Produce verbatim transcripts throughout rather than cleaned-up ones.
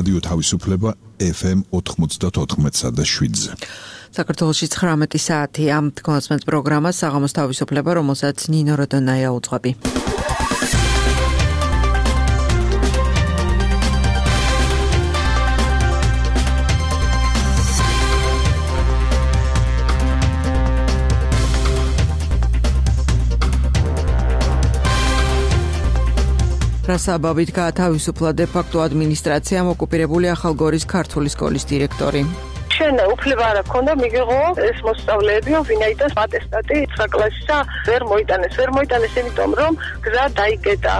რადიო თავისუფლება ეფ ემ ოთხმოცდაოთხ და შვიდზე. საქართველოში ცხრამეტი საათია. თქვენს პროგრამა საღამოს თავისუფლება, რომელსაც ნინო როდონაია უძღვები. რასაბაბით გაათავისუფლა დე-ფაქტო ადმინისტრაციამ ოკუპირებული ახალგორის ქართული სკოლის დირექტორი. შენ უფლება არ აქვს მიგიღო ეს მოსწავლეები, ვინაიდან ატესტატი ცხრა კლასისა ვერ მოიტანეს, ვერ მოიტანეს იმიტომ რომ გზა დაიკეტა.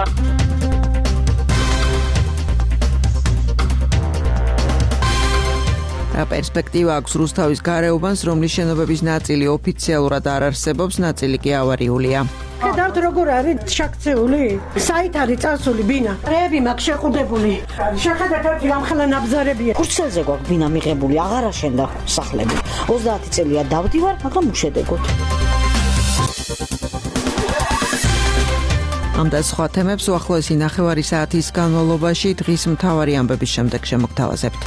რა პერსპექტივა აქვს რუსთავის გარეუბანს, რომლის შენობების ნაწილი ოფიციალურად არ არსებობს, ნაწილი კი ავარიულია. ხედავთ როგორ არის შაქცეული? საით არის წასული ბინა? რეები მაქვს შეყუდებული. შეხედეთ ერთი რამხელა ნაბზარებია. ქურცელზე გვაქვს ბინა მიღებული, აღარ აშენდა სახლები. ოცდაათი წელია დავდივარ, მაგრამ უშედეგოდ. ამ და სხვა თემებს უახლოესი ნახევარი საათის განმავლობაში დღის მთავარი ამბების შემდეგ შემოგთავაზებთ.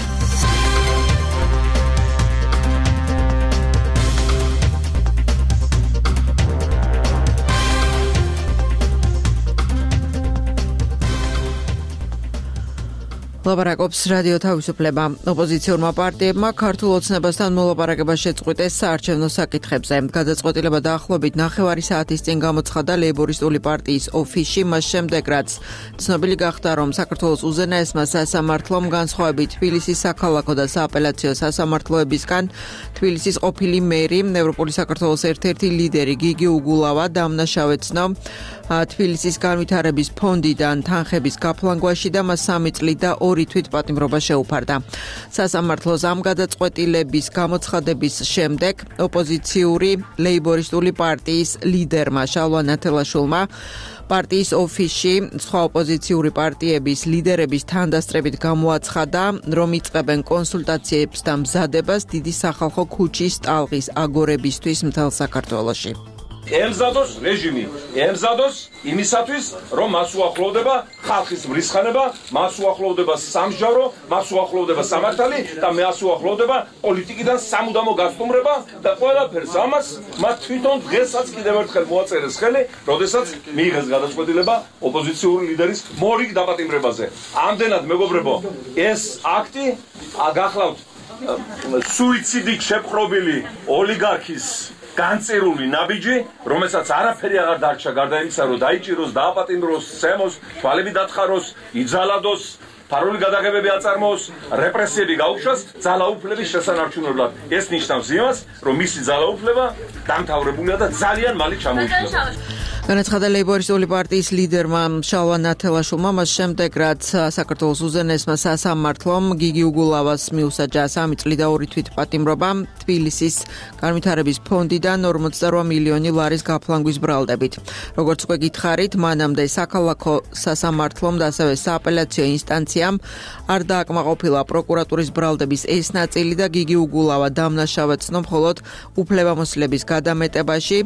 ლაპარაკობს რადიო თავისუფლება. ოპოზიციურმა პარტიებმა ქართულ ოცნებასთან მოლაპარაკება შეწყვიტეს საარჩევნო საკითხებზე. გადაწყვეტილება დაახლოებით ნახევარი საათის წინ გამოცხადა ლეიბორისტული პარტიის ოფისში, მას შემდეგ რაც ცნობილი გახდა, რომ საქართველოს უზენაესმა სასამართლომ განსხვავებით თბილისის საქალაქო და სააპელაციო სასამართლოებისგან თბილისის ყოფილი მერი, ევროპული საქართველოს ერთ-ერთი ლიდერი გიგი უგულავა დამნაშავეცნო თბილისის განვითარების ფონდიდან თანხების გაფლანგვაში და მას სამი წლით და ორი თვით პატიმრობა შეუფარდა. სასამართლოს ამ გადაწყვეტილების გამოცხადების შემდეგ ოპოზიციური ლეიბორისტული პარტიის ლიდერმა შალვა ნათელაშვილმა პარტიის ოფისში სხვა ოპოზიციური პარტიების ლიდერების თანდასწრებით გამოაცხადა, რომ იწყებენ კონსულტაციებს და მზადებას დიდი სახალხო ქუჩის ტალღის აგორებისთვის მთელ საქართველოში. ემზადოს რეჟიმი, ემზადოს იმისათვის, რომ მას უახლოვდება ხალხის მრისხანება, მას უახლოვდება სამსჯავრო, მას უახლოვდება სამართალი და მას უახლოვდება პოლიტიკიდან სამუდამო გასტუმრება და ყველაფერს ამას მათ თვითონ დღესაც კიდევ ერთხელ მოაწერეს ხელი, როდესაც მიიღეს გადაწყვეტილება ოპოზიციური ლიდერის მორიგ დაპატიმრებაზე. ამდენად მეგობრებო, ეს აქტი გახლავთ სუიციდით შეპყრობილი ოლიგარქის განწერული ნაბიჯი, რომელსაც არაფერი აღარ დარჩა გარდა იმისა, რომ დაიჭიროს, დააპატიმროს, სცემოს, თვალები დათხაროს, იძალადოს, ფარული გადაღებები აწარმოოს, რეპრესიები გაუშვას ძალაუფლების შესანარჩუნებლად. ეს ნიშნავს იმას, რომ მისი ძალაუფლება დამთავრებულია და ძალიან მალე ჩამოიშლება. განაცხადა ლეიბორისტული პარტიის ლიდერმა შალვა ნათელაშვილმა, მას შემდეგ რაც საქართველოს უზენაესმა სასამართლომ გიგი უგულავას მიუსაჯა სამი წლით და ორი თვით პატიმრობა თბილისის განვითარების ფონდიდან ორმოცდაორ მილიონი ლარის გაფლანგვის ბრალდებით. როგორც უკვე გითხარით, მანამდე საქალაქო სასამართლომ და ასევე სააპელაციო ინსტანციამ არ დააკმაყოფილა პროკურატურის ბრალდების ეს ნაწილი და გიგი უგულავა დამნაშავეცნო მხოლოდ უფლებამოსილების გადამეტებაში.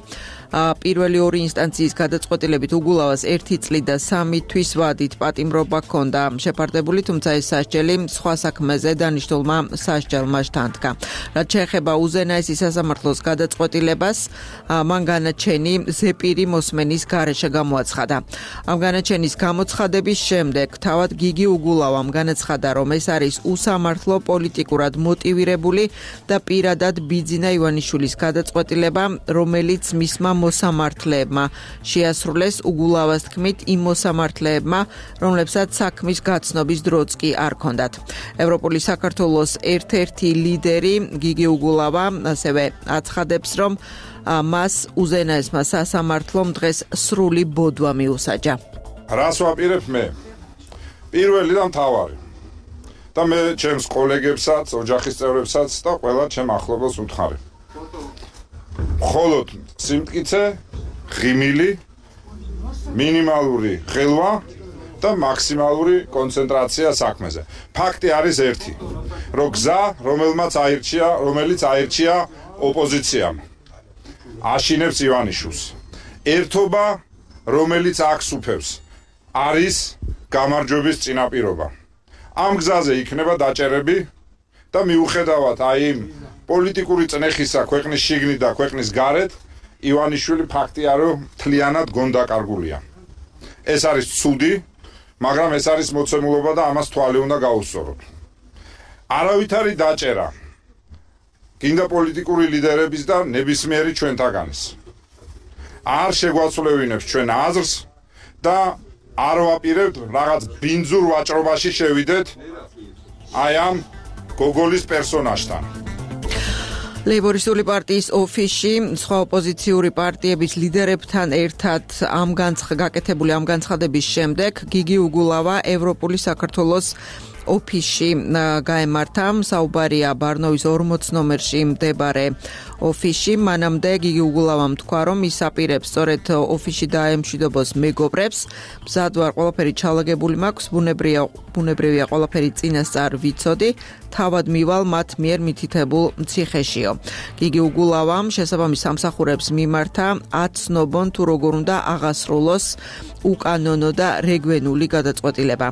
პირველი ორი ინსტანციის გადაწყვეტილებით უგულავას ერთი წლით და სამი თვის ვადით პატიმრობა ჰქონდა შეფარდებული, თუმცა ეს სასჯელი სხვა საქმეზე დანიშნულმა სასჯელმა შთანთქა. რაც შეეხება უზენაესი სასამართლოს გადაწყვეტილებას, მან განაჩენი ზეპირი მოსმენის გარეშე გამოაცხადა. ამ განაჩენის გამოცხადების შემდეგ თავად გიგი უგულავამ განაცხადა, რომ ეს არის უსამართლო, პოლიტიკურად მოტივირებული და პირადად ბიძინა ივანიშვილის გადაწყვეტილება, რომელიც მისმა მოსამართლეებმა შეასრულეს უგულავას თქმით იმ მოსამართლეებმა, რომლებსაც საქმის გაცნობის დროც კი არ ჰქონდათ. ევროპული საქართველოს ერთ-ერთი ლიდერი გიგი უგულავა ასევე აცხადებს, რომ მას უზენაესმა სასამართლომ დღეს სრული ბოდვა მიუსაჯა. რას ვაპირებ მე? პირველი და მთავარი. და მე ჩემს კოლეგებსაც, ოჯახის წევრებსაც და ყველა ჩემ ახლობელს ვუთხარი. მხოლოდ სიმტკიცე, ღიმილი, მინიმალური ხელვა და მაქსიმალური კონცენტრაცია საქმეზე. ფაქტი არის ერთი, რომ გზა, რომელმაც აირჩია, რომელიც აირჩია ოპოზიციამ, აშინებს ივანიშვილს. ერთობა, რომელიც აქ სუფევს, არის გამარჯვების წინაპირობა. ამ გზაზე იქნება დაჭერები და მიუხედავად აი იმ პოლიტიკური წნეხისა ქვეყნის შიგნით და ქვეყნის გარეთ ივანიშვილი ფაქტია რომ მთლიანად გონდაკარგულია. ეს არის ცუდი, მაგრამ ეს არის მოცემულობა და ამას თვალი უნდა გაუსწოროთ. არავითარი დაჭერა გინდა პოლიტიკური ლიდერების და ნებისმიერი ჩვენთაგანის არ შეგვაცვლევინებს ჩვენ აზრს და არ ვაპირებთ რაღაც ბინძურ ვაჭრობაში შევიდეთ აი ამ გოგოლის პერსონაჟთან. ლეიბორისტული პარტიის ოფისში სხვა ოპოზიციური პარტიების ლიდერებთან ერთად ამ განცხადებული ამ განცხადების შემდეგ გიგი უგულავა ევროპული საქართველოს ოფისში გაემართა. საუბარია ბარნოვის ორმოც ნომერში მდებარე ოფისში. მანამდე გიგი უგულავამ თქვა, რომ ის აპირებს სწორედ ოფისში დაემშვიდობოს მეგობრებს. მზად ვარ, ყველაფერი ჩალაგებული მაქვს, ბუნებრივია, ბუნებრივია ყველაფერი წინასწარ ვიცოდი. თავად მივალ მათ მიერ მითითებულ ციხეშიო. გიგი უგულავამ შესაბამის სამსახურებს მიმართა აცნობონ თუ როგორ უნდა აღასრულოს უკანონო და რეგვენული გადაწყვეტილება.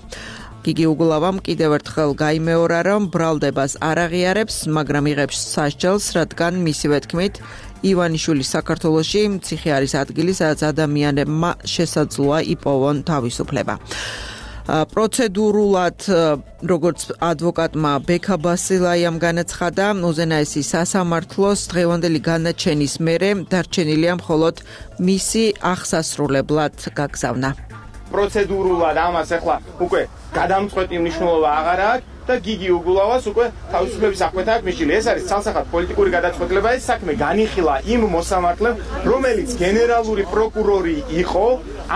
გიგი უგულავამ კიდევ ერთხელ გაიმეორა, რომ ბრალდებას არ აღიარებს, მაგრამ იღებს სასჯელს, რადგან მისივე თქმით ივანიშვილის საქართველოში ციხე არის ადგილი, სადაც ადამიანებმა შესაძლოა იპოვონ თავისუფლება. პროცედურულად, როგორც ადვოკატმა ბექა ბასილაიამ განაცხადა, უზენაესი სასამართლოს დღევანდელი განაჩენის მერე დარჩენილია მხოლოდ მისი აღსასრულებლად გაგზავნა. პროცედურულად ამას ახლა უკვე გადამწყვეტი მნიშვნელობა აღარ აქვს და გიგი უგულავას უკვე თავისუფლების აღკვეთა აქვს მისული. ეს არის ცალსახად პოლიტიკური გადაწყვეტილება. ეს საქმე განიხილა იმ მოსამართლემ, რომელიც გენერალური პროკურორი იყო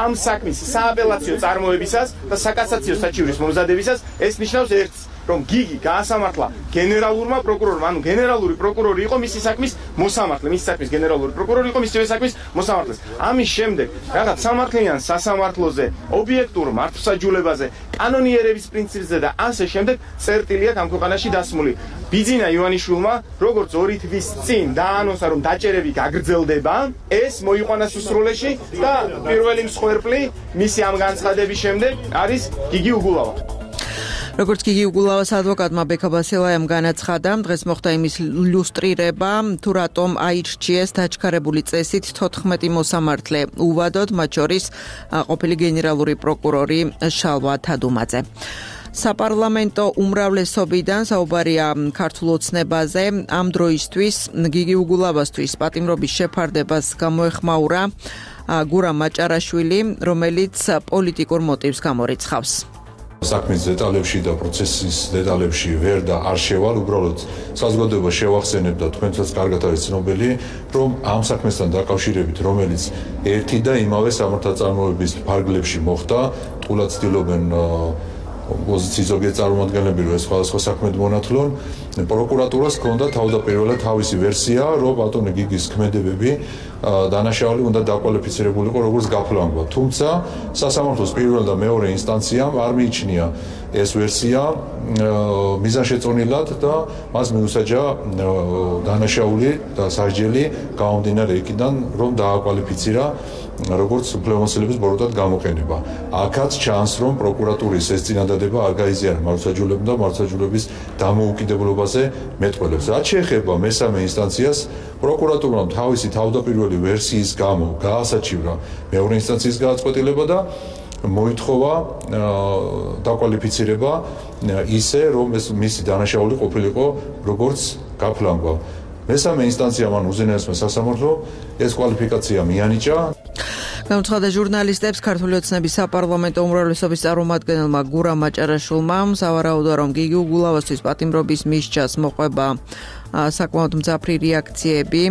ამ საქმის სააპელაციო წარმოებისას და საკასაციო საჩივრის მომზადებისას. ეს ნიშნავს ერთს, რომ გიგი გაასამართლა გენერალურმა პროკურორმა, ანუ გენერალური პროკურორი იყო მისი საქმის მოსამართლე, მისი საქმის გენერალური პროკურორი იყო მისივე საქმის მოსამართლე. ამის შემდეგ რაღაც სამართლიან სასამართლოზე, ობიექტურ მართლმსაჯულებაზე, კანონიერების პრინციპზე და ასე შემდეგ წერტილი აქვს ამ ქვეყანაში დასმული. ბიძინა ივანიშვილმა, როგორც ორი თვის წინ დაანონსა, რომ დაჭერები გაგრძელდება, ეს მოიყვანა სისრულეში და პირველი მსხვერპლი მისი ამ განცხადების შემდეგ არის გიგი უგულავა. როგორც გიგი უგულავას ადვოკატმა ბექა ბასილაიამ განაცხადა, დღეს მოხდა იმის ილუსტრირება, თუ რატომ აირჩიეს დაჩქარებული წესით თოთხმეტი მოსამართლე უვადოდ, მათ შორის ყოფილი გენერალური პროკურორი შალვა თადუმაძე. საპარლამენტო უმრავლესობიდან საუბარია ქართულ ოცნებაზე. ამ დროისთვის გიგი უგულავასთვის პატიმრობის შეფარდებას გამოეხმაურა გურამ მაჭარაშვილი, რომელიც პოლიტიკურ მოტივს გამორიცხავს. საქმის დეტალებში და პროცესის დეტალებში ვერ და არ შევალ, უბრალოდ საზოგადოება შევახსენებ და თქვენთაც კარგად არის ცნობილი, რომ ამ საქმესთან დაკავშირებით, რომელიც ერთი და იმავე სამართალწარმოების ფარგლებში მოხდა, თულად ცდილობენ ოპოზიციის ზოგიერთ წარმომადგენლები, რომ ეს სხვადასხვა საქმედ მონათლონ, პროკურატურას ჰქონდა თავდაპირველად თავისი ვერსია, რომ ბატონი გიგის ქმედებები დანაშაული უნდა დაკვალიფიცირებულიყო როგორც გაფლანგვა. თუმცა სასამართლოს პირველ და მეორე ინსტანციამ არ მიიჩნია ეს ვერსია მიზანშეწონილად და მას მიუსაჯა დანაშაული და სასჯელი გამომდინარე იქიდან, რომ დააკვალიფიცირა როგორც უფლებამოსილების ბოროტად გამოყენება. აქაც ჩანს, რომ პროკურატურის ეს წინადადება არ გაიზიარა მართლმსაჯულებამ და მართლმსაჯულების დამოუკიდებლობაზე მეტყველებს. რაც შეეხება მესამე ინსტანციას, პროკურატურამ თავისი თავდაპირველი ვერსიის გამო გაასაჩივრა მეორე ინსტანციის გადაწყვეტილება და მოითხოვა დაკვალიფიცირება ისე, რომ ეს მისი დანაშაული ყოფილიყო როგორც გაფლანგვა. მესამე ინსტანციამ ან უზენაესმა სასამართლომ ეს კვალიფიკაცია მიანიჭა. გამოცხადა ჟურნალისტებს ქართული ოცნების საპარლამენტო უმრავლესობის წარმომადგენელმა გურამ მაჭარაშვილმა, სავარაუდოა, რომ გიგი უგულავასთვის პატიმრობის მისჯას მოყვება საკმაოდ მძაფრი რეაქციები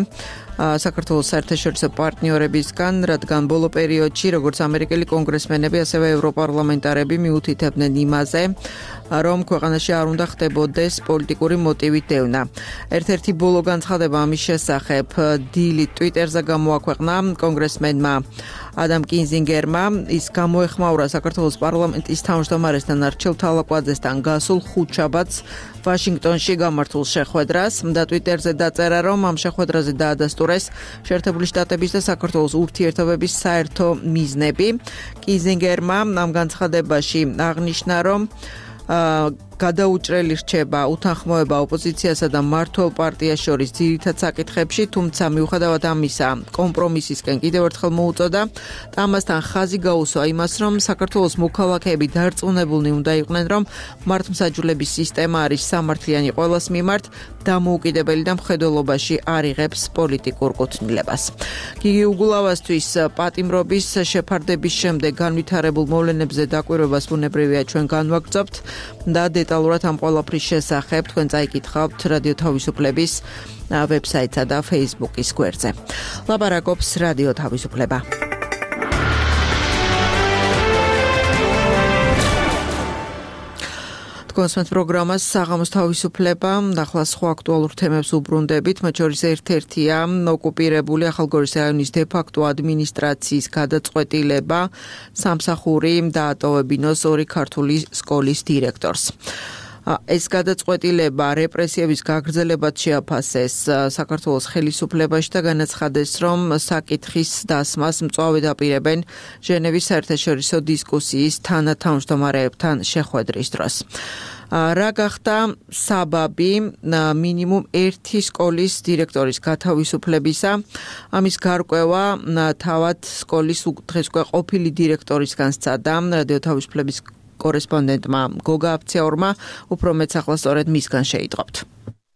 საქართველოს საერთაშორისო პარტნიორებისგან, რადგან ბოლო პერიოდში როგორც ამერიკელი კონგრესმენები, ასევე ევროპარლამენტარები მიუთითებდნენ იმაზე, რომ ქვეყანაში არ უნდა ხდებოდეს პოლიტიკური მოტივით დევნა. ერთ-ერთი ბოლო განცხადება ამის შესახებ დილით ტვიტერზე გამოაქვეყნა კონგრესმენმა ადამ კინზინგერმა. ის გამოეხმაურა საქართველოს პარლამენტის თავმჯდომარესთან არჩილ თალაკვაძესთან გასულ ხუთშაბათს ვაშინგტონში გამართულ შეხვედრას და ტვიტერზე დაწერა, რომ ამ შეხვედრაზე დაადასტურეს შეერთებული შტატების და საქართველოს ურთიერთობების საერთო მიზნები. კინზინგერმა ამ განცხადებაში აღნიშნა, რომ გადაუჭრელი რჩება უთანხმოება ოპოზიციასა და მმართველ პარტიას შორის ძირითად საკითხებში, თუმცა მიუხედავად ამისა, კომპრომისისკენ კიდევ ერთხელ მოუწოდა და ამასთან ხაზი გაუსვა იმას, რომ საქართველოს მოქალაქეები დარწმუნებულნი უნდა იყვნენ, რომ მართლმსაჯულების სისტემა არის სამართლიანი ყველას მიმართ, დამოუკიდებელი და მხედველობაში არ იღებს პოლიტიკურ კუთვნილებას. გიგი უგულავასთვის პატიმრობის შეფარდების შემდეგ განვითარებულ მოვლენებზე დაკვირვებას ბუნებრივია ჩვენ განვაგრძობთ და დეტალურად ამ ყველაფრის შესახებ თქვენ წაიკითხავთ რადიო თავისუფლების ვებსაიტსა და Facebook-ის გვერდზე. ლაპარაკობს რადიო თავისუფლება. კონსმეთ პროგრამას საღამოს თავისუფლება, ახლა სხვა აქტუალურ თემებს უბრუნდებით, მათ შორის ერთ-ერთია ოკუპირებული ახალგორის რაიონის დე-ფაქტო ადმინისტრაციის გადაწყვეტილება სამსახური დაატოვებინოს ორი ქართული სკოლის დირექტორს. ეს გადაწყვეტილება რეპრესიების გაგრძელებად შეაფასეს საქართველოს ხელისუფლებაში და განაცხადეს, რომ საკითხის დასმას მწვავედ აპირებენ ჟენევის საერთაშორისო დისკუსიის თანათავმჯდომარეებთან შეხვედრის დროს. რა გახდა საბაბი მინიმუმ ერთი სკოლის დირექტორის გათავისუფლებისა, ამის გარკვევა თავად სკოლის დღესკვე ყოფილი დირექტორისგან სცადა რადიო თავისუფლების კორესპონდენტმა გოგა აფცეორმა, უფრო მეც ახლა სწორედ მისგან შეიტყობთ.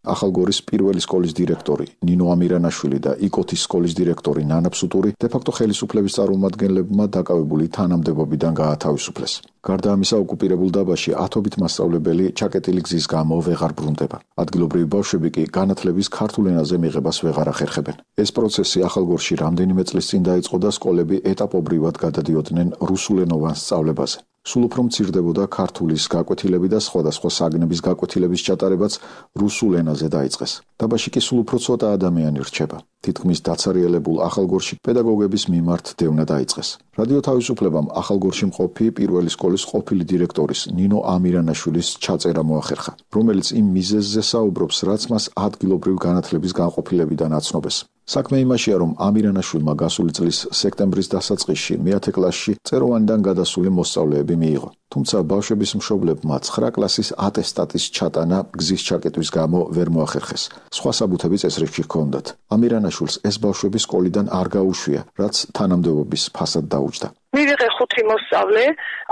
ახალგორის პირველი სკოლის დირექტორი ნინო ამირანაშვილი და იკოთის სკოლის დირექტორი ნანა ფსუტური დე-ფაქტო ხელისუფლების წარმომადგენლებმა დაკავებული თანამდებობიდან გაათავისუფლეს. გარდა ამისა, ოკუპირებულ დაბაში ათობით მასწავლებელი ჩაკეტილი გზის გამო ვეღარ ბრუნდება. ადგილობრივი ბავშვები კი განათლების ქართულ ენაზე მიღებას ვეღარ ახერხებენ. ეს პროცესი ახალგორში რამდენიმე წლის წინ დაიწყო და სკოლები ეტაპობრივად გადადიოდნენ რუსულენოვან სწავლებაზე. სულ უფრო მცირდებოდა ქართულის გაკვეთილები და სხვადასხვა საგნების გაკვეთილების ჩატარებაც რუსულ ენაზე დაიწყეს. დაბაში კი სულ უფრო ცოტა ადამიანი რჩება. თითქმის დაცარიელებულ ახალგორში პედაგოგების მიმართ დევნა დაიწყეს. რადიო თავისუფლებამ ახალგორში მყოფი პირველი სკოლის ყოფილი დირექტორის ნინო ამირანაშვილის ჩაწერა მოახერხა, რომელიც იმ მიზეზზე საუბრობს, რაც მას ადგილობრივ განათლების განყოფილებიდან აცნობეს. საქმე იმაშია, რომ ამირანაშვილმა გასული წლის სექტემბრის დასაწყისში მეათე კლასში წეროვანიდან გადასული მოსწავლეები მიიღო. თუმცა ბავშვების მშობლებმა ცხრა კლასის ატესტატის ჩატანა გზის ჩაკეტვის გამო ვერ მოახერხეს. სხვა საბუთები წესრიგში ჰქონდათ. ამირანაშვილს ეს ბავშვები სკოლიდან არ გაუშვია, რაც თანამდებობის ფასად დაუჯდა. მივიღე ხუთი მოსწავლე,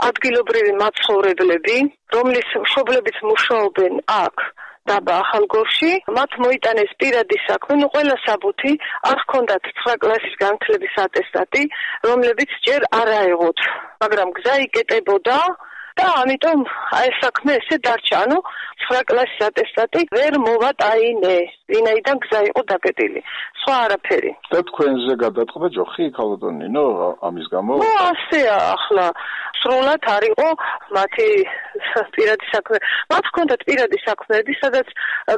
ადგილობრივი მაცხოვრებლები, რომლის მშობლებიც მუშაობენ აქ დაბა ახალგორში, მათ მოიტანეს პირადი საქმე, ნუ ყველა საბუთი, არ ჰქონდათ ცხრა კლასის განათლების ატესტატი, რომლებიც ჯერ არ აეღოთ, მაგრამ გზა იკეტებოდა და ამიტომ აი საქმე ესე დარჩა, ანუ ცხრა კლასის ატესტატი ვერ მოვატაინე, ვინაიდან გზა იყო დაკეტილი. სხვა არაფერი. და თქვენზე გადაწყდა ჯოხი ქალბატონინო ამის გამო? ნუ ასეა ახლა სრულად არ იყო მათი პირადი საქმე. მათ ჰქონდათ პირადი საქმეები, სადაც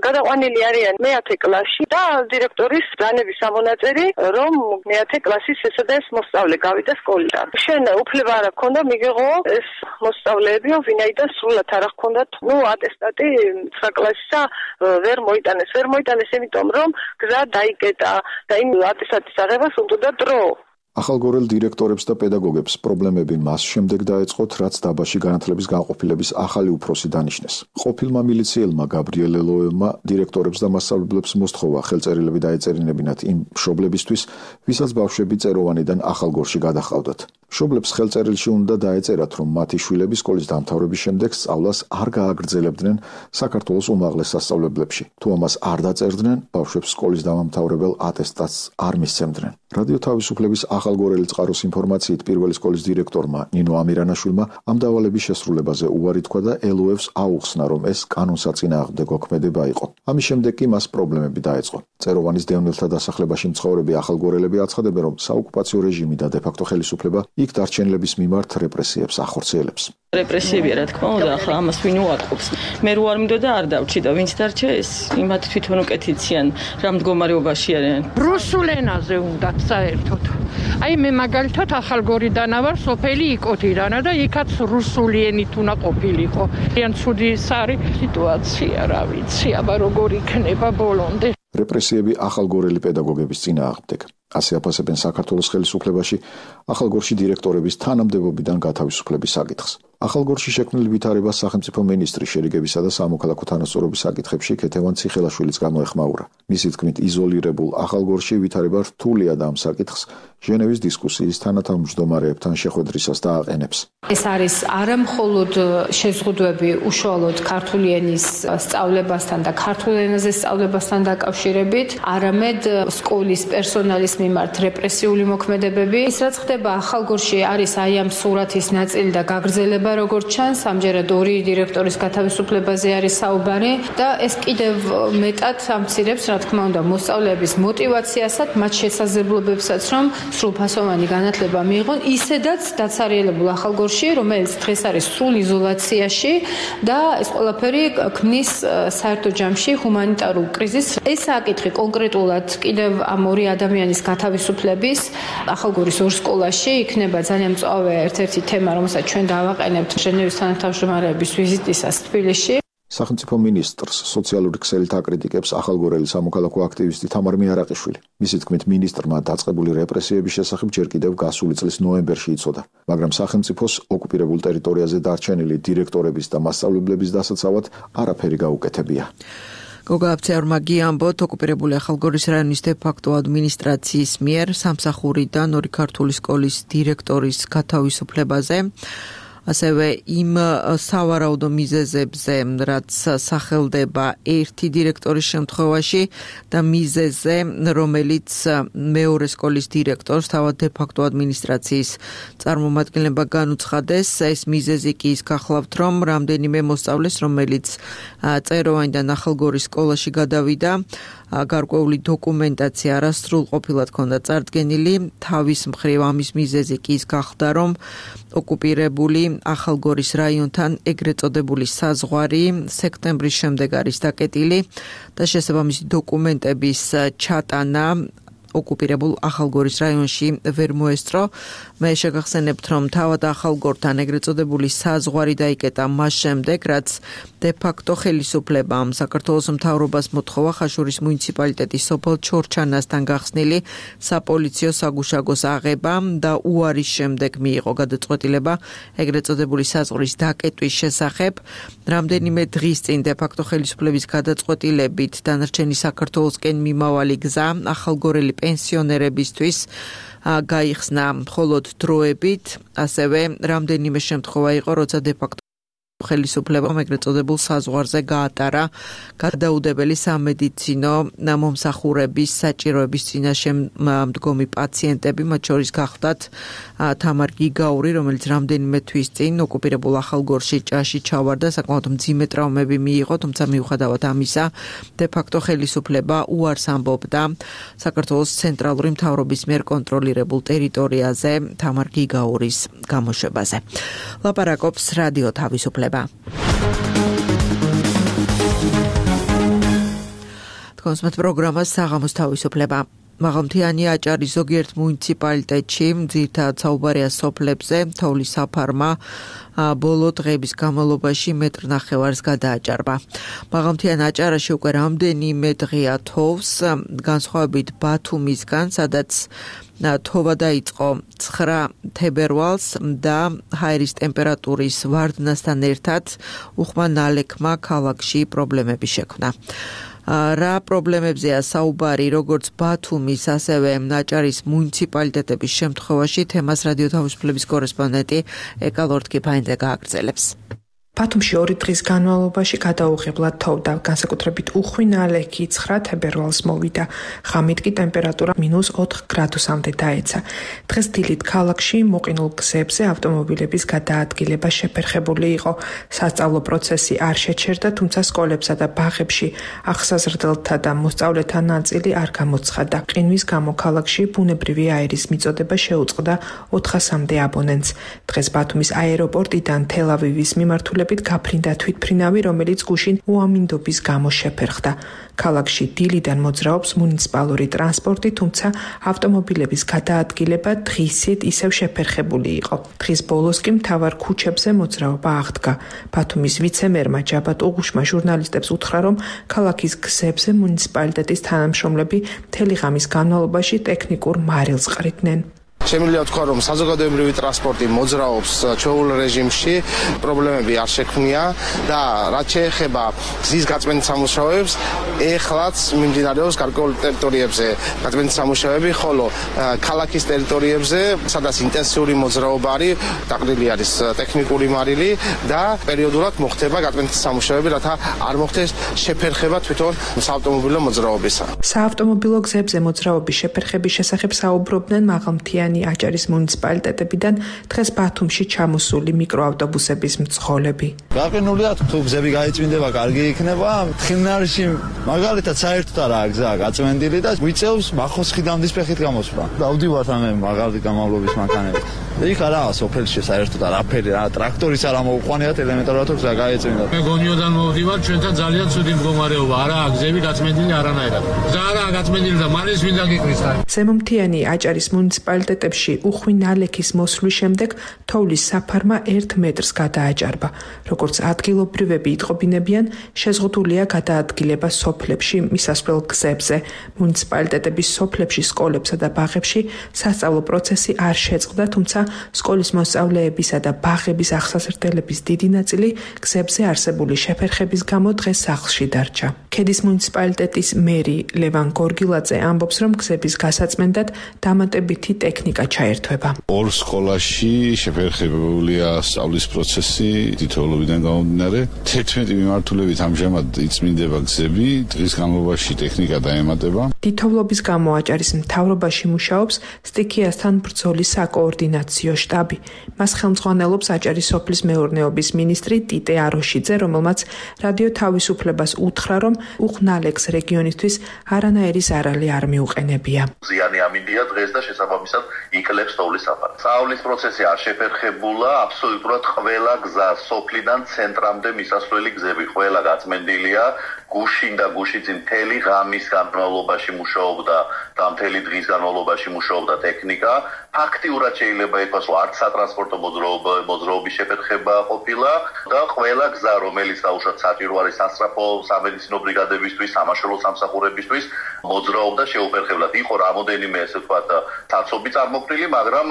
გადაყვანილი არიან მეათე კლასში და დირექტორის ბრძანების ამონაწერი, რომ მეათე კლასის ესა და ეს მოსწავლე გავიდა სკოლიდან. შენ უფლება არ ჰქონდა მიგეღო ეს მოსწავლეები, ვინაიდან სრულად არ ჰქონდათ, ნუ ატესტატი ცხრა კლასისა ვერ მოიტანეს, ვერ მოიტანეს, იმიტომ რომ გზა დაიკეტა და იმ ატესტატის აღებას უნდა დრო. ახალგორელ დირექტორებს და პედაგოგებს პრობლემები მას შემდეგ დაეწყოთ, რაც დაბაში განათლების განყოფილების ახალი უფროსი დანიშნეს. ყოფილმა მილიციელმა გაბრიელ ელოევმა დირექტორებს და მასწავლებლებს მოსთხოვა ხელწერილები დაეწერინებინათ იმ მშობლებისთვის, ვისაც ბავშვები წეროვანიდან ახალგორში გადაჰყავდათ. მშობლებს ხელწერილში უნდა დაეწერათ, რომ მათი შვილები სკოლის დამთავრების შემდეგ სწავლას არ გააგრძელებდნენ საქართველოს უმაღლეს სასწავლებლებში. თუ ამას არ დაწერდნენ, ბავშვებს სკოლის დამამთავრებელ ატესტატს არ მისცემდნენ. რადიო თავისუფლების ახალგორელი წყაროს ინფორმაციით პირველი სკოლის დირექტორმა ნინო ამირანაშვილმა ამ დავალების შესრულებაზე უარი თქვა და ელოევს აუხსნა, რომ ეს კანონსაწინააღმდეგო ქმედება იყო. ამის შემდეგ კი მას პრობლემები დაეწყო. წეროვანის დევნილთა დასახლებაში მცხოვრები ახალგორელები აცხადებენ, რომ საოკუპაციო რეჟიმი და დე-ფაქტო ხელისუფლება იქ დარჩენილების მიმართ რეპრესიებს ახორციელებს. რეპრესიებია, რა თქმა უნდა, ახლა ამას ვინ უარყოფს. მე რო არ მინდოდა არ დავჭი და ვინც დარჩა ეს იმათ თვითონ უკეთიციან რა მდგომარეობაში არიან. რუსულ ენაზე უნდათ საერთოდ. აი მე მაგალითად ახალგორიდანა ვარ, სოფელი იკოთიდანა და იქაც რუსული ენით უნდა ყოფილიყო. ძალიან ცუდი არის სიტუაცია, რა ვიცი, აბა როგორ იქნება ბოლომდე. რეპრესიები ახალგორელი პედაგოგების წინააღმდეგ. ასე აფასებენ საქართველოს ხელისუფლებაში ახალგორში დირექტორების თანამდებობიდან გათავისუფლების საკითხს. ახალგორში შექმნილი ვითარებას სახელმწიფო მინისტრი შერიგებისა და სამოქალაქო თანასწორობის საკითხებში ქეთევან ციხელაშვილიც გამოეხმაურა. მისი თქმით, იზოლირებულ ახალგორში ვითარება რთულია და ამ საკითხს ჟენევის დისკუსიის თანათავმჯდომარეებთან შეხვედრისას დააყენებს. ეს არის არა მხოლოდ შეზღუდვები უშუალოდ ქართული ენის სწავლებასთან და ქართულ ენაზე სწავლებასთან დაკავშირებით, არამედ სკოლის პერსონალის მიმართ რეპრესიული მოქმედებები. ის რაც ხდება ახალგორში არის აი ამ სურათის ნაწილი და გაგრძელება, როგორც ჩანს, ამჯერად ორი დირექტორის გათავისუფლებაზე არის საუბარი და ეს კიდევ მეტად ამცირებს, რა თქმა უნდა, მოსწავლეების мотиваციასაც, მათ შესაძლებლობებსაც, რომ სრულფასოვანი განათლება მიიღონ, ისედაც დაცარიელებულ ახალგორში, რომელიც დღეს არის სრულ იზოლაციაში და ეს ყველაფერი ქმნის საერთო ჯამში ჰუმანიტარულ კრიზისს. ეს საკითხი კონკრეტულად კიდევ ამ ორი ადამიანის გათავისუფლების ახალგორის ორ სკოლაში იქნება ძალიან მწვავე ერთ-ერთი თემა, რომელსაც ჩვენ დავაყენებთ ჟენევის თანათავმჯდომარეების ვიზიტისას თბილისში. სახელმწიფო მინისტრს სოციალური ქსელით აკრიტიკებს ახალგორელი სამოქალაქო აქტივისტი თამარ მიარაყიშვილი. მისი თქმით, მინისტრმა დაწყებული რეპრესიების შესახებ ჯერ კიდევ გასული წლის ნოემბერში იცოდა, მაგრამ სახელმწიფოს ოკუპირებულ ტერიტორიაზე დარჩენილი დირექტორების და მასწავლებლების დასაცავად არაფერი გაუკეთებია. გოგა აფცეორმა გიამბოთ, ოკუპირებული ახალგორის რაიონის დე-ფაქტო ადმინისტრაციის მიერ სამსახურიდან ორი ქართული სკოლის დირექტორის გათავისუფლებაზე, ასევე იმ სავარაუდო მიზეზებზე, რაც სახელდება ერთი დირექტორის შემთხვევაში და მიზეზე, რომელიც მეორე სკოლის დირექტორს თავად დე-ფაქტო ადმინისტრაციის წარმომადგენლობა განუცხადეს. ეს მიზეზი კი ის გახლავთ, რომ რამდენიმე მოსწავლეს, რომელიც წეროვანიდან ახალგორის სკოლაში გადავიდა, გარკვეული დოკუმენტაცია არასრულყოფილად ჰქონდა წარდგენილი. თავის მხრივ ამის მიზეზი კი ის გახდა, რომ ოკუპირებული ახალგორის რაიონთან ეგრეთ წოდებული საზღვარი სექტემბრის შემდეგ არის დაკეტილი და შესაბამისი დოკუმენტების ჩატანა ოკუპირებულ ახალგორის რაიონში ვერ მოესწრო. მე შეგახსენებთ, რომ თავად ახალგორთან ეგრეთ წოდებული საზღვარი დაიკეტა მას შემდეგ, რაც დე-ფაქტო ხელისუფლებამ საქართველოს მთავრობას მოთხოვა ხაშურის მუნიციპალიტეტის სოფელ ჩორჩანასთან გახსნილი საპოლიციო საგუშაგოს აღება და უარის შემდეგ მიიღო გადაწყვეტილება ეგრეთ წოდებული საზღვრის დაკეტვის შესახებ. რამდენიმე დღის წინ დე-ფაქტო ხელისუფლების გადაწყვეტილებით დანარჩენი საქართველოსკენ მიმავალი გზა ახალგორელი პენსიონერებისთვის გაიხსნა მხოლოდ დროებით, ასევე რამდენიმე შემთხვევა იყო, როცა დე-ფაქტო ხელისუფლებამ ეგრეთ წოდებულ საზღვარზე გაატარა გადაუდებელი სამედიცინო მომსახურების საჭიროების წინაშე მდგომი პაციენტები, მათ შორის გახლდათ თამარ გიგაური, რომელიც რამდენიმე თვის წინ ოკუპირებულ ახალგორში ჭაში ჩავარდა, საკმაოდ მძიმე ტრავმები მიიღო, თუმცა მიუხედავად ამისა, დე-ფაქტო ხელისუფლება უარს ამბობდა საქართველოს ცენტრალური მთავრობის მიერ კონტროლირებულ ტერიტორიაზე თამარ გიგაურის გამოშვებაზე. ლაპარაკობს რადიო თავისუფლება. თქვენს პროგრამას საღამოს თავისუფლება. მაღალმთიანი აჭარის ზოგიერთ მუნიციპალიტეტში ძირითადად საუბარია სოფლებზე, თოვლის საფარმა ბოლო დღეების განმავლობაში მეტრ ნახევარს გადააჭარბა. მაღალმთიან აჭარაში უკვე რამდენიმე დღეა თოვს, განსხვავებით ბათუმისგან, სადაც თოვა დაიწყო ცხრა თებერვალს და ჰაერის ტემპერატურის ვარდნასთან ერთად უხმა ნალექმა ქალაქში პრობლემები შექმნა. რა პრობლემებზეა საუბარი როგორც ბათუმის, ასევე აჭარის მუნიციპალიტეტების შემთხვევაში, თემას რადიო თავისუფლების კორესპონდენტი ეკა ლორდ-კიფაინძე გააგრძელებს. ბათუმში ორი დღის განმავლობაში გადაუღებლად თოვდა, განსაკუთრებით უხვი ნალექი ცხრა თებერვალს მოვიდა. ღამით კი ტემპერატურა მინუს ოთხ გრადუსამდე დაეცა. დღეს დილით ქალაქში მოყინულ გზებზე ავტომობილების გადაადგილება შეფერხებული იყო. სასწავლო პროცესი არ შეჩერდა, თუმცა სკოლებსა და ბაღებში ახსაზრდელთა და მოსწავლეთა ნაწილი არ გამოცხადდა. ყინვის გამო ქალაქში ბუნებრივი აერის მიწოდება შეუწყდა ოთხასამდე აბონენტს. დღეს ბათუმის აეროპორტიდან თელ-ავივის მიმართულებით გაფრინდა თვითმფრინავი, რომელიც გუშინ უამინდობის გამო შეფერხდა. ქალაქში დილიდან მოძრაობს მუნიციპალური ტრანსპორტი, თუმცა ავტომობილების გადაადგილება დღისით ისევ შეფერხებული იყო. დღის ბოლოს კი მთავარ ქუჩებზე მოძრაობა აღდგა. ბათუმის ვიცე-მერმა ჯაბათ უღუშმა ჟურნალისტებს უთხრა, რომ ქალაქის გზებზე მუნიციპალიტეტის თანამშრომლები მთელი ღამის განმავლობაში ტექნიკურ მარილს ყრიდნენ. შემიძლია ვთქვა, რომ საზოგადოებრივი ტრანსპორტი მოძრაობს ჩვეულ რეჟიმში, პრობლემები არ შექმნია და რაც შეეხება გზის გაწმენდის სამუშაოებს, ეხლაც მიმდინარეობს გარკვეულ ტერიტორიებზე გაწმენდის სამუშაოები, ხოლო ქალაქის ტერიტორიებზე, სადაც ინტენსიური მოძრაობა არის, დაყრდილი არის ტექნიკური მარილი და პერიოდულად მოხდება გაწმენდის სამუშაოები, რათა არ მოხდეს შეფერხება თვითონ საავტომობილო მოძრაობისა. საავტომობილო გზებზე მოძრაობის შეფერხების შესახებ საუბრობდნენ მაღალმთიანი აჭარის მუნიციპალიტეტებიდან დღეს ბათუმში ჩამოსული მიკროავტობუსების მძღოლები. გაყინულია თუ გზები გაიწმინდება, კარგი იქნება. თხილნარში მაგალითად საერთოდ არაა გზა გაწმენდილი და გვიწევს მახოსხიდამდის ფეხით გამოსვლა. დავდივართ ამ მაგალითი გამავლობის მანქანებით. იქ არაა სოფელში საერთოდ არაფერი, რა ტრაქტორის არ ამოუყვანიათ ელემენტარულად გზა გაიწმინდა. მე გონიოდან მოვდივარ, ჩვენთან ძალიან ცუდი მდგომარეობა, არაა გზები გაწმენდილი არანაირად. გზა არაა გაწმენდილი და მალე მინდა გიყრის. ზემომთიანი აჭარის მუნიციპალიტეტებში უხვი ნალექის მოსვლის შემდეგ თოვლის საფარმა ერთ მეტრს გადააჭარბა. როგორც ადგილობრივები იტყობინებიან, შეზღუდულია გადაადგილება სოფლებში მისასვლელ გზებზე. მუნიციპალიტეტების სოფლებში, სკოლებსა და ბაღებში სასწავლო პროცესი არ შეწყდა, თუმცა სკოლის მოსწავლეებისა და ბაღების აღსასრდელების დიდი ნაწილი გზებზე არსებული შეფერხების გამო დღეს სახლში დარჩა. ქედის მუნიციპალიტეტის მერი ლევან გორგილაძე ამბობს, რომ გზების გასაწმენდად დამატებითი ტექნიკა ჩაერთვება. ორ სკოლაში შეფერხებულია სწავლის პროცესი თითოეულობიდან გამომდინარე. თერთმეტი მიმართულებით ამჟამად იწმინდება გზები, დღის განმავლობაში ტექნიკა დაემატება. თითოეულობის გამო აჭარის მთავრობაში მუშაობს სტიქიასთან ბრძოლის საკოორდინაციო შტაბი. მას ხელმძღვანელობს აჭარის სოფლის მეურნეობის მინისტრი ტიტე აროშიძე, რომელმაც რადიო თავისუფლებას უთხრა, რომ უხნალექს რეგიონისთვის არანაირი ზარალი არ მიუყენებია. ზიანი ამინდია დღეს და შესაბამისად იკლებს თოვლის საფარს. სწავლის პროცესი არ შეფერხებულა, აბსოლუტურად ყველა გზა სოფლიდან ცენტრამდე მისასვლელი გზები ყველა გაწმენდილია. გუშინ და გუშიწინ მთელი ღამის განმავლობაში მუშაობდა და მთელი დღის განმავლობაში მუშაობდა ტექნიკა. ფაქტიურად შეიძლება ითქვას, რომ არც სატრანსპორტო მოძრაობის შეფერხება ყოფილა და ყველა გზა, რომელიც დაუშვათ საჭირო არის სასწრაფო სამედიცინო ბრიგადებისთვის, სამაშველო სამსახურებისთვის, მოძრაობდა შეუფერხებლად. იყო რამოდენიმე, ესე ვთქვათ, საცობი წარმოქმნილი, მაგრამ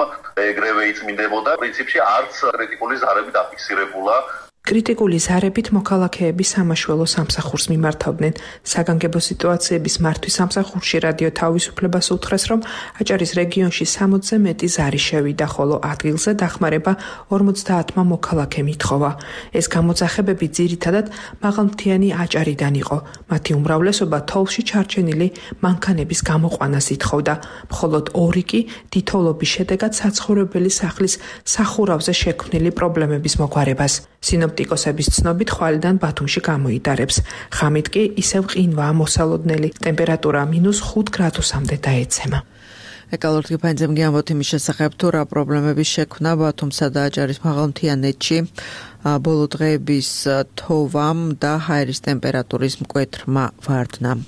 ეგრევე იწმინდებოდა. პრინციპში არც კრიტიკული ზარები დაფიქსირებულა. კრიტიკული ზარებით მოქალაქეები სამაშველო სამსახურს მიმართავდნენ. საგანგებო სიტუაციების მართვის სამსახურში რადიო თავისუფლებას უთხრეს, რომ აჭარის რეგიონში სამოცზე მეტი ზარი შევიდა, ხოლო ადგილზე დახმარება ორმოცდაათმა მოქალაქემ ითხოვა. ეს გამოძახებები ძირითადად მაღალმთიანი აჭარიდან იყო. მათი უმრავლესობა თოვლში ჩარჩენილი მანქანების გამოყვანას ითხოვდა, მხოლოდ ორი კი თითოეულობის შედეგად საცხოვრებელი სახლის სახურავზე შექმნილი პრობლემების მოგვარებას. სინოპტიკოსების ცნობით ხვალიდან ბათუმში გამოიტარებს. ღამით კი ისევ ყინვაა მოსალოდნელი. ტემპერატურა მინუს ხუთ გრადუსამდე დაეცემა. ეკალორტი ფანძემ გიამბობთ იმის შესახებ, თუ რა პრობლემების შექმნა ბათუმსა და აჭარის მაღალმთიანეთში ბოლო დღეების თოვამ და ჰაერის ტემპერატურის მკვეთრმა ვარდნამ.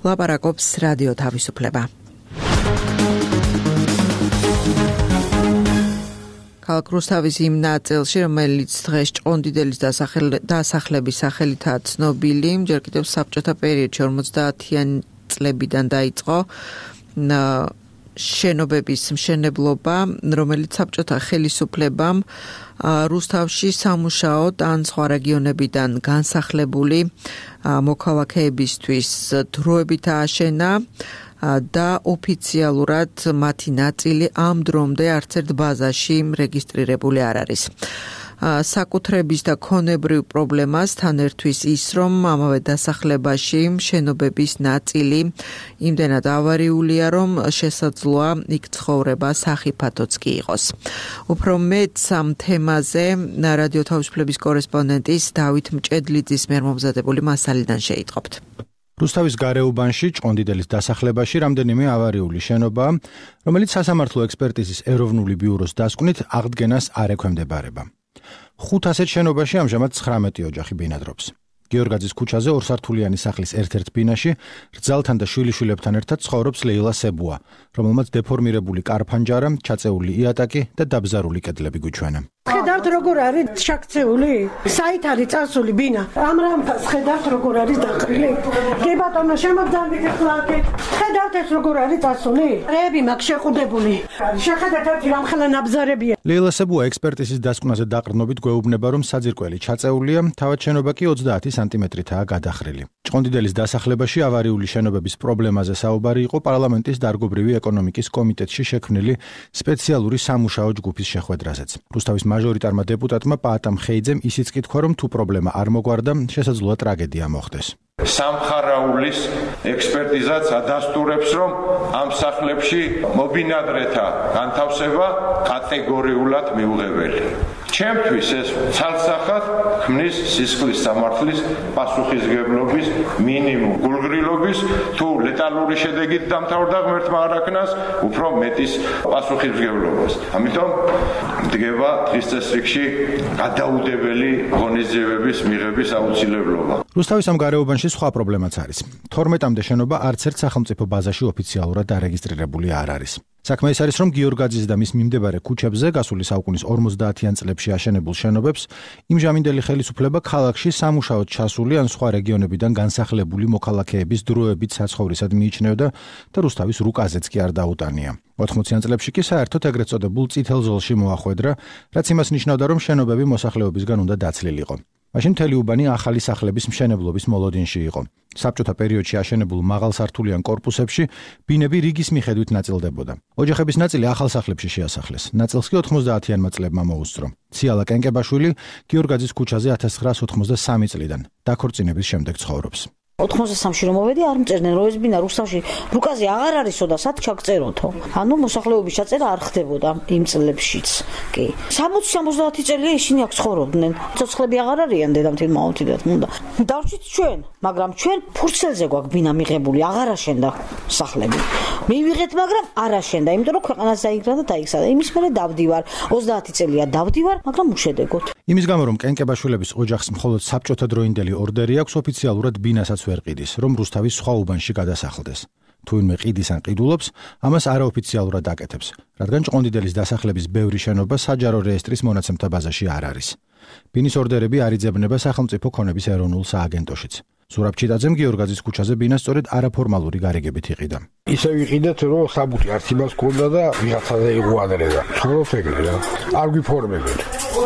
ლაპარაკობს რადიო თავისუფლება. ქალაქ რუსთავის იმ ნაწილში, რომელიც დღეს ჭყონდიდელის დასახლების სახელითაა ცნობილი, ჯერ კიდევ საბჭოთა პერიოდში ორმოცდაათიანი წლებიდან დაიწყო შენობების მშენებლობა, რომელიც საბჭოთა ხელისუფლებამ რუსთავში სამუშაოდ ან სხვა რეგიონებიდან განსახლებული მოქალაქეებისთვის დროებით ააშენა და ოფიციალურად მათი ნაწილი ამ დრომდე არც ერთ ბაზაში რეგისტრირებული არ არის. საკუთრების და ქონებრივ პრობლემას თან ერთვის ის, რომ ამავე დასახლებაში შენობების ნაწილი იმდენად ავარიულია, რომ შესაძლოა იქ ცხოვრება სახიფათოც კი იყოს. უფრო მეტს ამ თემაზე რადიო თავისუფლების კორესპონდენტის დავით მჭედლიძის მიერ მომზადებული მასალიდან შეიტყობთ. რუსთავის გარეუბანში ჭყონდიდელის დასახლებაში რამდენიმე ავარიული შენობაა, რომელიც სასამართლო ექსპერტიზის ეროვნული ბიუროს დასკვნით აღდგენას არ ექვემდებარება. ხუთ ასეთ შენობაში ამჟამად ცხრამეტი ოჯახი ბინადრობს. გიორგაძის ქუჩაზე ორსართულიანი სახლის ერთ-ერთ ბინაში რძალთან და შვილიშვილებთან ერთად ცხოვრობს ლეილა სებუა, რომელმაც დეფორმირებული კარფანჯარა, ჩაწეული იატაკი და დაბზარული კედლები გვიჩვენა. ხედავთ როგორ არის შაქცეული? საით არის წასული ბინა? ამ რამფას ხედავთ როგორ არის დაყრილი? კი ბატონო, შემოგძალით ახლა აქ. ხედავთ ეს როგორ არის წასული? რეები მაქვს შეყუდებული. შეხედეთ ერთი რამ ხელა ნაბზარებია. ლეილა სებუა ექსპერტიზის დასკვნაზე დაყრდნობით გვეუბნება, რომ საძირკველი ჩაწეულია, თავად შენობა კი ოცდაათი სანტიმეტრითაა გადახრილი. ჭყონდიდელის დასახლებაში ავარიული შენობების პრობლემაზე საუბარი იყო პარლამენტის დარგობრივი ეკონომიკის კომიტეტში შექმნილი სპეციალური სამუშაო ჯგუფის შეხვედრაზეც. რუსთავის მაჟორიტარმა დეპუტატმა პაატამ ხეიძემ ისიც კითხვა, რომ თუ პრობლემა არ მოგვარდა, შესაძლოა ტრაგედია მოხდეს. სამხარაულის ექსპერტიზაც ადასტურებს, რომ ამ სახლებში მობინადრეთა განთავსება კატეგორიულად მიუღებელი. ჩემთვის ეს ცალსახად ქმნის სისხლის სამართლის პასუხისგებლობის მინიმუმ გულგრილობის, თუ ლეტალური შედეგით დამთავრდა ღმერთმა არ აქნას, უფრო მეტის პასუხისგებლობას. ამიტომ დგება დღის წესრიგში გადაუდებელი ღონისძიებების მიღების აუცილებლობა. რუსთავის ამ გარეუბანში სხვა პრობლემაც არის. თორმეტამდე შენობა არც ერთ სახელმწიფო ბაზაში ოფიციალურად დარეგისტრირებული არ არის. საქმე ის არის, რომ გიორგაძის და მის მიმდებარე ქუჩებზე გასული საუკუნის ორმოცდაათიან წლებში აშენებულ შენობებს იმჟამინდელი ხელისუფლება ქალაქში სამუშაოდ ჩასული ან სხვა რეგიონებიდან განსახლებული მოქალაქეების დროებით საცხოვრისად მიიჩნევდა და რუსთავის რუკაზეც კი არ დაუტანია. ოთხმოციან წლებში კი საერთოდ ეგრეთ წოდებულ წითელ ზოლში მოახვედრა, რაც იმას ნიშნავდა, რომ შენობები მოსახლეობისგან უნდა დაცლილიყო. მაშინ მთელი უბანი ახალი სახლების მშენებლობის მოლოდინში იყო. საბჭოთა პერიოდში აშენებულ მაღალსართულიან კორპუსებში ბინები რიგის მიხედვით ნაწილდებოდა. ოჯახების ნაწილი ახალ სახლებში შეასახლეს. ნაწილს კი ოთხმოცდაათიანმა წლებმა მოუსწრო. ციალა კენკებაშვილი გიორგაძის ქუჩაზე ათას ცხრაას ოთხმოცდასამი წლიდან დაქორწინების შემდეგ ცხოვრობს. ოთხმოცდასამში რომ მოვედი, არ მწერდნენ, რომ ეს ბინა რუსთავში რუკაზე აღარ არისო და სად ჩაგწეროთო. ანუ მოსახლეობის ჩაწერა არ ხდებოდა იმ წლებშიც. კი. სამოცი სამოცდაათი წელია ისინი აქ ცხოვრობდნენ. ცოცხლები აღარ არიან დედამთილ მამამთილად უნდა. დავჭით ჩვენ, მაგრამ ჩვენ ფურცელზე გვაქვს ბინა მიღებული, აღარ აშენდა სახლები. მივიღეთ, მაგრამ არ აშენდა, იმიტომ რომ ქვეყანას დაიგრა და დაიქცა. იმის მერე დავდივარ, ოცდაათი წელია დავდივარ, მაგრამ უშედეგოდ. იმის გამო, რომ კენკებაშვილების ოჯახს მხოლოდ საბჭოთა დროინდელი ორდერი აქვს, ოფიციალურად ბინასაც ვერ ყიდის, რომ რუსთავის სხვა უბანში გადასახლდეს. თუ ვინმე ყიდის ან ყიდულობს, ამას არაოფიციალურად აკეთებს, რადგან ჭყონდიდელის დასახლების ბევრი შენობა საჯარო რეესტრის მონაცემთა ბაზაში არ არის. ბინის ორდერები არ იძებნება სახელმწიფო ქონების ეროვნულ სააგენტოშიც. ზურაბ ჩიტაძემ გიორგაძის ქუჩაზე ბინა სწორედ არაფორმალური გარიგებით იყიდა. ისე ვიყიდეთ, რომ საბუთი არც იმას ქონდა და ვიღაცაზე იღვადრე და ცხოვრობ ეგრე რა. არ გვიფორმებენ.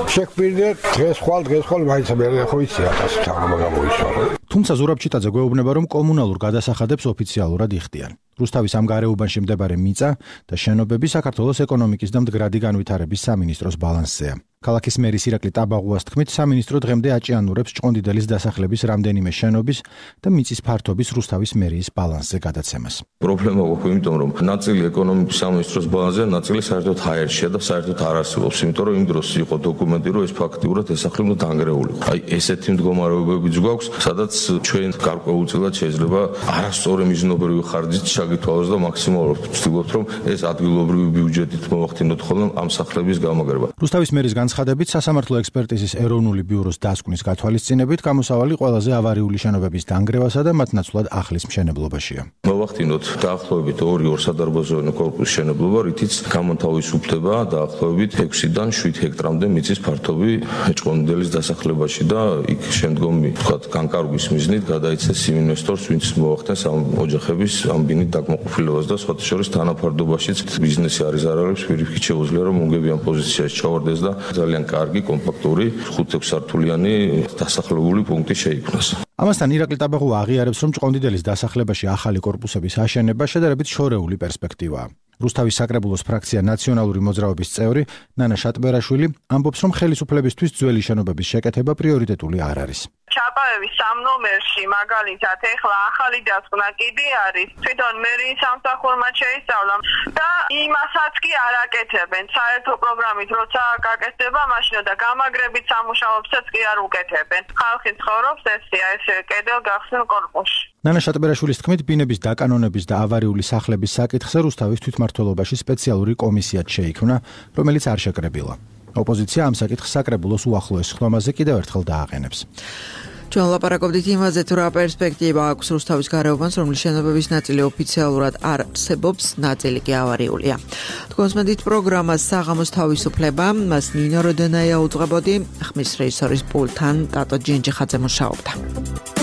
შეგვპირდეთ დღეს ხვალ დღეს ხვალ მაინც მე ხო იცი ათასი თაღმა გამოიშვა. თუმცა ზურაბ ჩიტაძე გვეუბნება, რომ კომუნალურ გადასახადებს ოფიციალურად იხდიან. რუსთავის ამ გარეუბანში მდებარე მიწა და შენობები საქართველოს ეკონომიკის და მდგრადი განვითარების სამინისტროს ბალანსზეა. ქალაქის მერის ირაკლი ტაბაღუას თქმით, სამინისტრო დღემდე აჭიანურებს ჭყონდიდელის დასახლების რამდენიმე შენობის და მიწის ფართობის რუსთავის მერიის ბალანსზე გადაცემას. პრობლემა გვაქვს, იმიტომ რომ ნაწილი ეკონომიკის სამინისტროს ბალანსზე, ნაწილი საერთოდ ჰაერშია და საერთოდ არ არსებობს, იმიტომ რომ იმ დროს იყო დოკუმენტი, რომ ეს ფაქტიურად ეს სახლი უნდა დანგრეულიყო. აი ესეთი მდგომარეობებიც გვაქვს, სადაც ჩვენ გარკვეულწილად შეიძლება არასწორი მიზნობრივი ხარჯით შეგითვალოს და მაქსიმალურად ვცდილობთ, რომ ეს ადგილობრივი ბიუჯეტით მოვახდინოთ ხოლმე ამ სახლების გამაგრება. რუსთავის მერის განცხადებით, სასამართლო ექსპერტიზის ეროვნული ბიუროს დასკვნის გათვალისწინებით გამოსავალი ყველაზე ავარიული შენობების დანგრევასა და მათ ნაცვლად ახლის მშენებლობაშია. მოვახდინოთ დაახლოებით ორი ორსადარბაზოვანი კორპუსის მშენებლობა, რითიც გამოთავისუფლდება დაახლოებით ექვსიდან შვიდ ჰექტრამდე მიწის ფართობი ჭყონდიდელის დასახლებაში და იქ შემდგომი, ვთქვათ, განკარგვის მიზნით გადაიცეს იმ ინვესტორს, ვინც მოახდენს ამ ოჯახების ამ ბინით დაკმაყოფილებას და სხვათა შორის თანაფარდობაშიც ბიზნესი არის არალებს, პირიქით შეუძლია რომ უნგებიან პოზიციაში ჩავარდეს და ძალიან კარგი, კომპაქტური, ხუთსართულიანი დასახლებული პუნქტი შეიქმნას. ამასთან ირაკლი ტაბაღუა აღიარებს, რომ ჭყონდიდელის დასახლებაში ახალი კორპუსების აშენება შედარებით შორეული პერსპექტივაა. რუსთავის საკრებულოს ფრაქცია ნაციონალური მოძრაობის წევრი ნანა შატბერაშვილი ამბობს, რომ ხელისუფლებისთვის ძველი შენობების შეკეთება პრიორიტეტული არ არის. ჩაპაევის სამ ნომერში მაგალითად ეხლა ახალი დასკვნა კიდე არის, თვითონ მერის სამსახურმა შეისწავლა და იმასაც კი არ აკეთებენ. საერთო პროგრამით როცა გაკეთდება, მაშინ და გამაგრებით სამუშაოებსაც კი არ უკეთებენ. ხალხი ცხოვრობს ესეა, ესე კედელ გახსნილ კორპუსში. ნანა შატბერაშვილის თქმით, ბინების დაკანონების და ავარიული სახლების საკითხზე რუსთავის თვითმმართველობაში სპეციალური კომისიაც შეიქმნა, რომელიც არ შეკრებილა. ოპოზიცია ამ საკითხს საკრებულოს უახლოეს ხდომაზე კიდევ ერთხელ დააყენებს. ჩვენ ლაპარაკობდით იმაზე, თუ რა პერსპექტივა აქვს რუსთავის გარეუბანს, რომლის შენობების ნაწილი ოფიციალურად არ არსებობს, ნაწილი კი ავარიულია. თქვენსმენდით პროგრამას საღამოს თავისუფლება, მას ნინო როდენაია უძღვებოდი, ხმის რეჟისორის პულტთან ტატო ჯინჯიხაძე მუშაობდა.